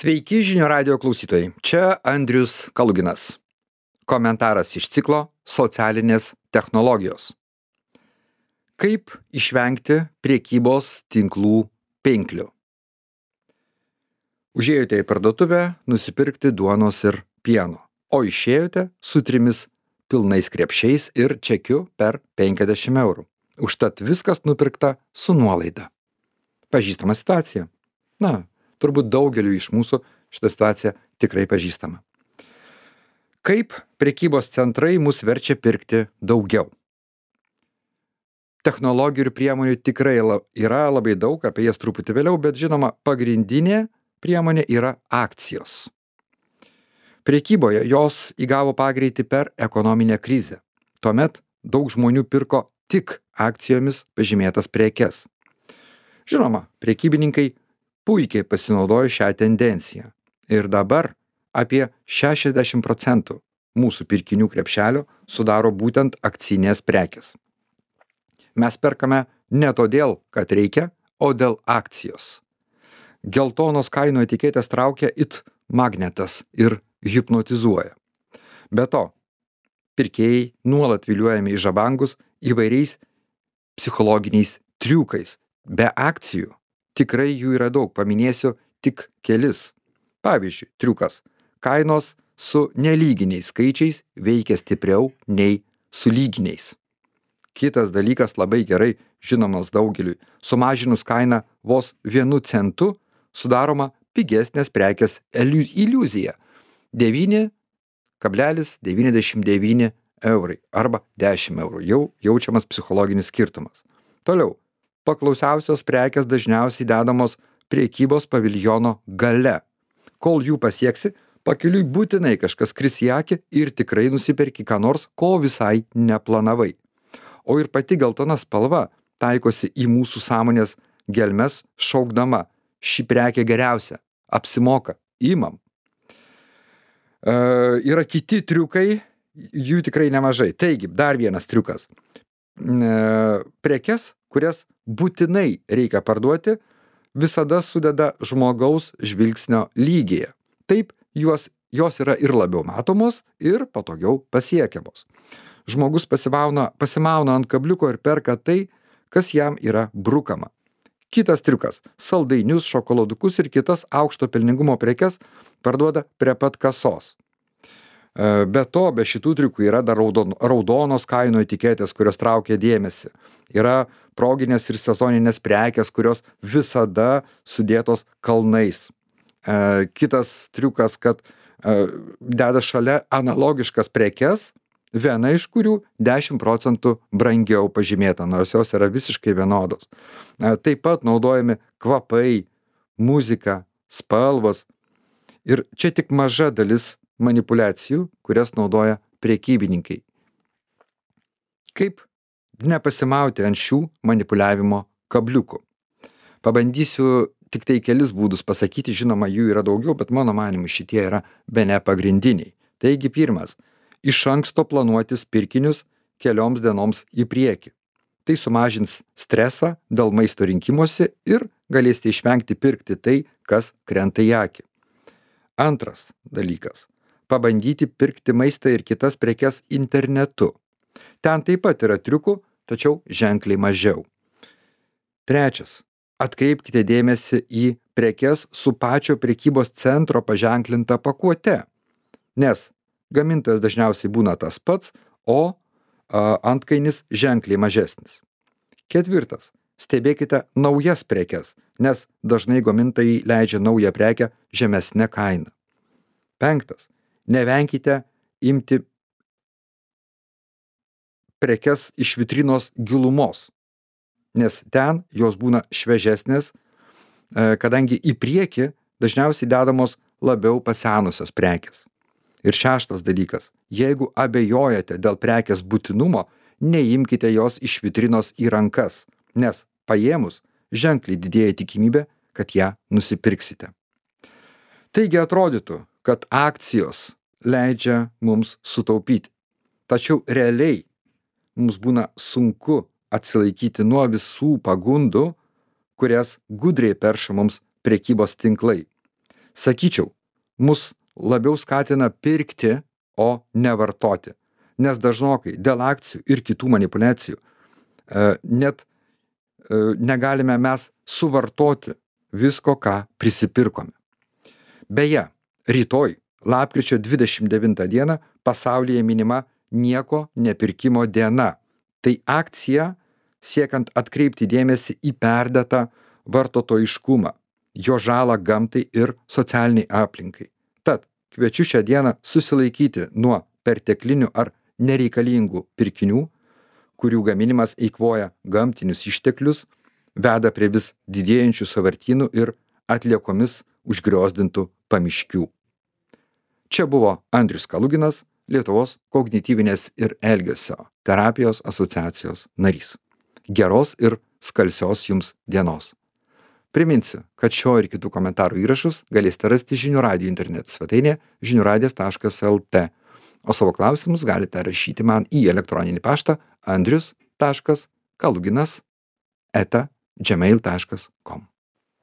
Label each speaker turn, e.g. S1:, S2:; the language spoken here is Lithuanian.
S1: Sveiki žinių radio klausytojai, čia Andrius Kaluginas. Komentaras iš ciklo Socialinės technologijos. Kaip išvengti prekybos tinklų pinklių? Užėjote į parduotuvę nusipirkti duonos ir pieno, o išėjote su 3 pilnais krepšiais ir čekiu per 50 eurų. Užtat viskas nupirkta su nuolaida. Pažįstama situacija? Turbūt daugeliu iš mūsų šitą situaciją tikrai pažįstama. Kaip prekybos centrai mus verčia pirkti daugiau? Technologijų ir priemonių tikrai yra labai daug, apie jas truputį vėliau, bet žinoma, pagrindinė priemonė yra akcijos. Prekyboje jos įgavo pagreitį per ekonominę krizę. Tuomet daug žmonių pirko tik akcijomis pažymėtas prekes. Žinoma, prekybininkai puikiai pasinaudojo šią tendenciją. Ir dabar apie 60% mūsų pirkinių krepšelio sudaro būtent akcinės prekės. Mes perkame ne todėl, kad reikia, o dėl akcijos. Geltonos kainų etiketės traukia it magnetas ir hipnotizuoja. Be to, pirkėjai nuolat viliojami į žabangus įvairiais psichologiniais triukais. Be akcijų tikrai jų yra daug, paminėsiu tik kelis. Pavyzdžiui, triukas. Kainos su nelyginiais skaičiais veikia stipriau nei su lyginiais. Kitas dalykas labai gerai žinomas daugeliui. Sumažinus kainą vos 1 centu sudaroma pigesnės prekės iliuzija. 9,99 eurai arba 10 eurų. Jau jaučiamas psichologinis skirtumas. Toliau. Paklausiausios prekės dažniausiai dedamos prekybos paviljono gale. Kol jų pasieksi, pakeliui būtinai kažkas kris į akį ir tikrai nusiperki ką nors, ko visai neplanavai. O ir pati geltona spalva taikosi į mūsų sąmonės gelmes šaukdama: ši prekė geriausia, apsimoka, imam. Yra kiti triukai, jų tikrai nemažai. Taigi, dar vienas triukas. Prekes, kurias būtinai reikia parduoti, visada sudeda žmogaus žvilgsnio lygyje. Taip, jos yra ir labiau matomos, ir patogiau pasiekiamos. Žmogus pasimauna ant kabliuko ir perka tai, kas jam yra brukama. Kitas triukas. Saldainius, šokoladukus ir kitas aukšto pelningumo prekes parduoda prie pat kasos. Be to, be šitų triukų yra dar raudonos kainų etiketės, kurios traukia dėmesį. Yra proginės ir sezoninės prekės, kurios visada sudėtos kalnais. Kitas triukas, kad deda šalia analogiškas prekes, viena iš kurių 10% brangiau pažymėta, nors jos yra visiškai vienodos. Taip pat naudojami kvapai, muzika, spalvos. Ir čia tik maža dalis manipuliacijų, kurias naudoja prekybininkai. Kaip nepasimauti ant šių manipuliavimo kabliukų? Pabandysiu tik tai kelis būdus pasakyti, žinoma, jų yra daugiau, bet mano manymu šitie yra bene pagrindiniai. Taigi pirmas. Iš anksto planuotis pirkinius kelioms dienoms į priekį. Tai sumažins stresą dėl maisto rinkimuose ir galėsite išvengti pirkti tai, kas krenta į akį. Antras dalykas. Pabandyti pirkti maistą ir kitas prekes internetu. Ten taip pat yra triukų, tačiau ženkliai mažiau. Trečias. Atkreipkite dėmesį į prekes su pačio prekybos centro paženklinta pakuote, nes gamintojas dažniausiai būna tas pats, o antkainis ženkliai mažesnis. Ketvirtas. Stebėkite naujas prekes, nes dažnai gamintojai leidžia naują prekę žemesne kaina. Penktas. Nevenkite imti prekes iš vitrinos gilumos, nes ten jos būna šviežesnės, kadangi į priekį dažniausiai dedamos labiau pasenusios prekės. Ir šeštas dalykas. Jeigu abejojate dėl prekės būtinumo, neimkite jos iš vitrinos į rankas, nes paėmus ženkliai didėja tikimybė, kad ją nusipirksite. Taigi atrodytų, kad akcijos leidžia mums sutaupyti. Tačiau realiai mums būna sunku atsilaikyti nuo visų pagundų, kurias gudriai perša mums prekybos tinklai. Sakyčiau, mus labiau skatina pirkti, o ne vartoti. Nes dažnokai dėl akcijų ir kitų manipuliacijų net negalime mes suvartoti visko, ką prisipirkome. Beje, rytoj, lapkričio 29 dieną, pasaulyje minima nieko nepirkimo diena. Tai akcija siekiant atkreipti dėmesį į perdėtą vartotojiškumą, jo žalą gamtai ir socialiniai aplinkai. Tad kviečiu šią dieną susilaikyti nuo perteklinių ar nereikalingų pirkinių, kurių gaminimas eikvoja gamtinius išteklius, veda prie vis didėjančių sąvartynų ir atliekomis užgriozdintų pamiškių. Čia buvo Andrius Kaluginas, Lietuvos kognityvinės ir elgesio terapijos asociacijos narys. Geros ir skalsios jums dienos. Priminsiu, kad šio ir kitų komentarų įrašus galėsite rasti Žinių radijo interneto svetainėje žiniuradijas.lt, o savo klausimus galite rašyti man į elektroninį paštą andrius.kaluginas@gmail.com.